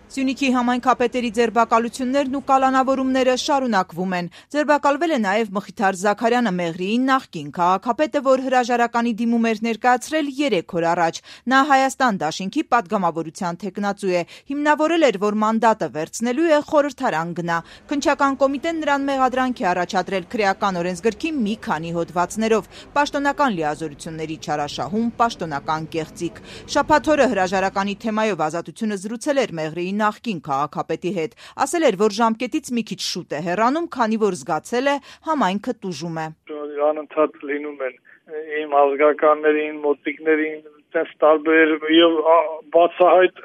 Սյունիքի համայնքապետերի ձերբակալություններն ու կալանավորումները շարունակվում են։ Ձերբակալվել է նաև Մխիթար Զաքարյանը, Մեղրիի նախկին քաղաքապետը, որ հրաժարականի դիմում էր ներկայացրել 3 օր առաջ։ Նա Հայաստան դաշինքի պատգամավորության թեկնածու է։ Հիմնավորել էր, որ մանդատը վերցնելու է խորհրդարան գնա։ Քննչական կոմիտեն նրան մեղադրանք է առաջադրել քրեական օրենսգրքի մի քանի հոդվածներով՝ պաշտոնական լիազորությունների չարաշահում, պաշտոնական կեղծիք։ Շաբաթ օրը հրաժարականի թեմայով Ազատությունը զրուցել էր Մեղրիի նախկին քաղաքապետի հետ, ասել էր, որ ժամկետից մի քիչ շուտ է հեռանում, քանի որ զգացել է համայնքը տուժում է։ Անընդհատ լինում են իմ ազգականներին, մոտիկներին, տես տարբեր եւ բացահայտ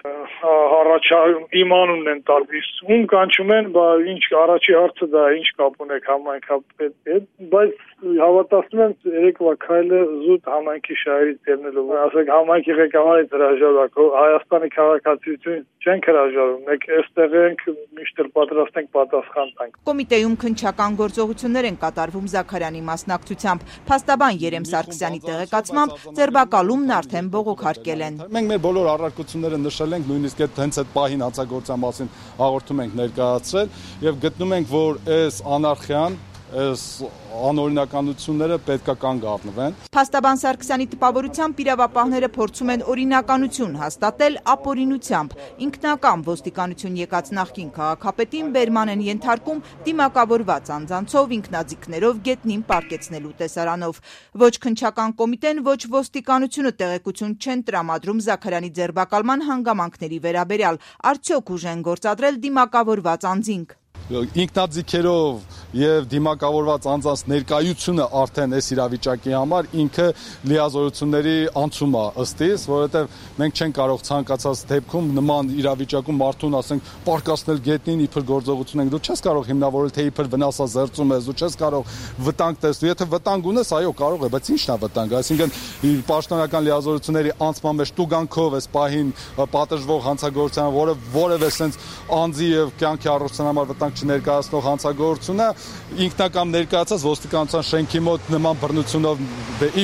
իմ անունն են տալիս։ Ում կանչում են, ինչ առաջի հարցը դա ինչ կապ ունեք համայնքապետի հետ, բայց հավատացնում եմ երեկվա քայլը զուտ համայնքի շահերից ելնելու։ Ասեք համայնքի ղեկավարից հրաժարվեք, Հայաստանի քաղաքացիություն չենք հրաժարվում, մենք այստեղ ենք, միշտ պատրաստ ենք պատասխան տանք։ Կոմիտեում քննչական գործողություններ են կատարվում Զաքարյանի մասնակցությամբ։ Փաստաբան Երեմ Սարգսյանի տեղեկացմամբ ձերբակալումն արդեն բողոքարկել են։ Մենք մեր բոլոր առարկությունները նշել ենք, նույնիսկ հենց այդ պահին հանցագործության մասին հաղորդում ենք ներկայացրել եւ գտնում ենք, որ այս անարխիան անօրինականությունները պետք է կանգ առնվեն։ Փաստաբան Սարգսյանի տպավորությամբ իրավապահները փորձում են օրինականություն հաստատել ապօրինությամբ։ Ինքնական ոստիկանություն եկած նախկին քաղաքապետին բերման են ենթարկում դիմակավորված անձանցով, ինքնաձիգներով, գետնին պառկեցնելու տեսարանով։ Ոչ քննչական կոմիտեն, ոչ ոստիկանությունը տեղեկություն չեն տրամադրում Զաքարյանի ձերբակալման հանգամանքների վերաբերյալ։ Արդյոք ուժեն գործադրել դիմակավորված անձինք։ Ինքնաձիգերով եւ դիմակավորված անձանց ներկայությունը արդեն այս իրավիճակի համար ինքը լիազորությունների անցում է ըստ իս, որովհետեւ մենք չենք կարող ցանկացած դեպքում նման իրավիճակում մարդուն, ասենք, պարկասնել գետնին իբր գործողություն ենք, դու չես կարող հիմնավորել, թե իբր վնասազերծում ես, դու չես կարող վտանգ տեսնել, եթե վտանգ ունես, այո, կարող է, բայց ի՞նչն է վտանգը, այսինքն պաշտոնական լիազորությունների անցման մեջ տուգանքով էս պահին պատժվող հանցագործության, որևէ sense անձի եւ կյանքի առողջության համար վտանգ չներկայացնող հանցագործությունը ինքնակամ ներկայացած ոստիկանության շենքի մոտ նման բռնությունով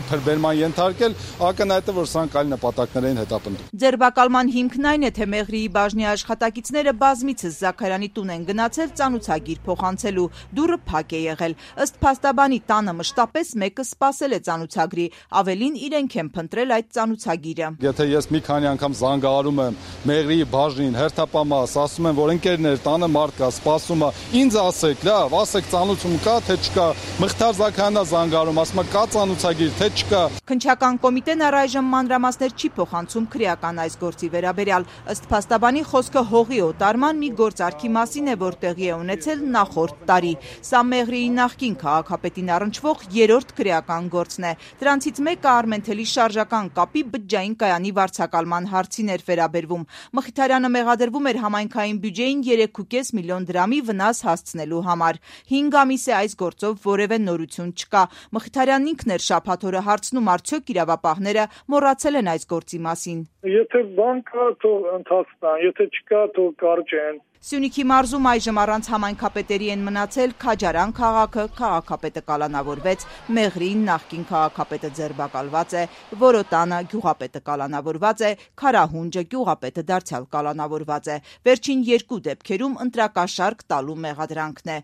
իբր բերման ենթարկել, ակնհայտ է, որ սրանք այլ նպատակներ են հետապնդում։ Ձերբակալման հիմքն այն է, թե Մեղրիի բաժնի աշխատակիցները բազմիցս Զաքարյանի տուն են գնացել ծանուցագիր փոխանցելու, դուռը փակ է եղել։ Ըստ փաստաբանի տանը մշտապես մեկը սպասել է ծանուցագրի, ավելին իրենք են փնտրել այդ ծանուցագիրը։ Եթե ես մի քանի անգամ զանգահարում եմ Մեղրիի բաժնին, հերթապամաս, ասում եմ, որ ընկերներ, տանը մարդ կա, սպասում է, ինձ ասեք, լավ, ասեք ծանուցում կա, թե չկա։ Մխիթար Զաքարյանն զանգահարում, ասում է կա ծանուցագիր, թե չկա։ Քննչական կոմիտեն առայժմ մանրամասներ չի փոխանցում քրեական այս գործի վերաբերյալ։ Ըստ փաստաբանի խոսքը հողի օտարման մի գործարքի մասին է, որ տեղի է ունեցել նախորդ տարի։ Սա Մեղրիի նախկին քաղաքապետին առնչվող 3-րդ քրեական գործն է։ Դրանցից մեկը Արմենթելի շարժական կապի բջջային կայանի վարձակալման հարցին էր վերաբերվում։ Մխիթարյանը մեղադրվում էր համայնքային բյուջեին 3.5 միլիոն դրամի վնաս հասցնելու համար։ 5 ամիս է այս գործով որևէ նորություն չկա։ Մխիթարյանն ինքն էր շաբաթ օրը հարցնում, արդյոք իրավապահները մոռացել են այս գործի մասին։ Եթե բան կա, թող ընթացնան, եթե չկա, թող կարճեն։ Սյունիքի մարզում այժմ առանց համայնքապետերի են մնացել Քաջարան քաղաքը, քաղաքապետը կալանավորվեց, Մեղրին նախկին քաղաքապետը ձերբակալված է, Որոտանը գյուղապետը կալանավորված է, Քարահունջը գյուղապետը դարձյալ կալանավորված է։ Վերջին 2 դեպքերում ընտրակաշարք տալու մեղադրանքն է։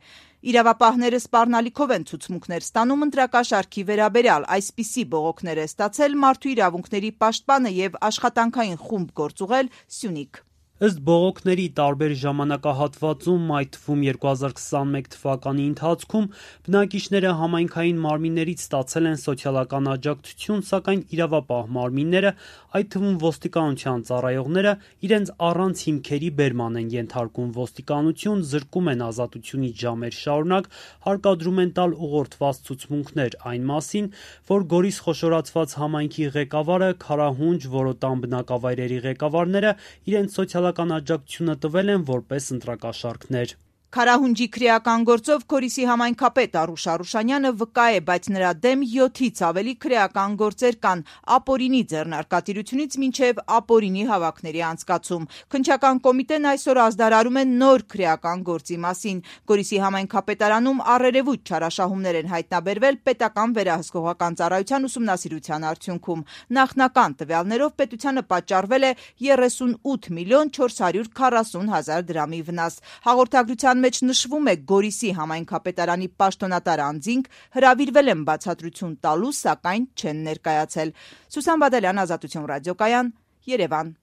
Իրավապահները սպառնալիքով են ցուցմունքներ ստանում ընտրակաշարքի վերաբերյալ, այսպիսի բողոքներ է ստացել Մարդու իրավունքների պաշտպանը եւ աշխատանքային խումբ գործուղել Սյունիք։ Ըստ բողոքների տարբեր ժամանակահատվածում, այդ թվում 2021 թվականի ընթացքում, բնակիչները համայնքային մարմիններից ստացել են սոցիալական աջակցություն, սակայն իրավապահ մարմինները, այդ թվում ոստիկանության ծառայողները, իրենց առանց հիմքերի բերման են ենթարկում ոստիկանություն, զրկում են ազատությունից ժամեր շարունակ, հարկադրում են տալ ուղղորդված ցուցմունքներ այն մասին, որ Գորիս խոշորացված համայնքի ղեկավարը, Քարահունջ, Որոտան բնակավայրերի ղեկավարները իրենց սոցիալական աջակցությունը տվել են որպես ընտրակաշարքներ։ Քարահունջի քրեական գործով Քորիսի համայնքապետ Արուշ Արուշանյանը վկա է, բայց նրա դեմ 7-ից ավելի քրեական գործեր կան ապօրինի ձեռնարկատիրությունից մինչև ապօրինի հավաքների անցկացում։ Քննչական կոմիտեն այսօր ազդարարում է նոր քրեական գործի մասին։ Գորիսի համայնքապետարանում առերևույթ չարաշահումներ են հայտնաբերվել պետական վերահսկողական ծառայության ուսումնասիրության արդյունքում։ Նախնական տվյալներով պետությանը պատճառվել է 38 միլիոն 440 հազար դրամի վնաս։ Հաղորդագրության մեջ նշվում է Գորիսի համայնքապետարանի պաշտոնատար անձինք հրավիրվել են բացատրություն տալու, սակայն չեն ներկայացել։ Սուսան Բադալյան, Ազատություն ռադիոկայան, Երևան։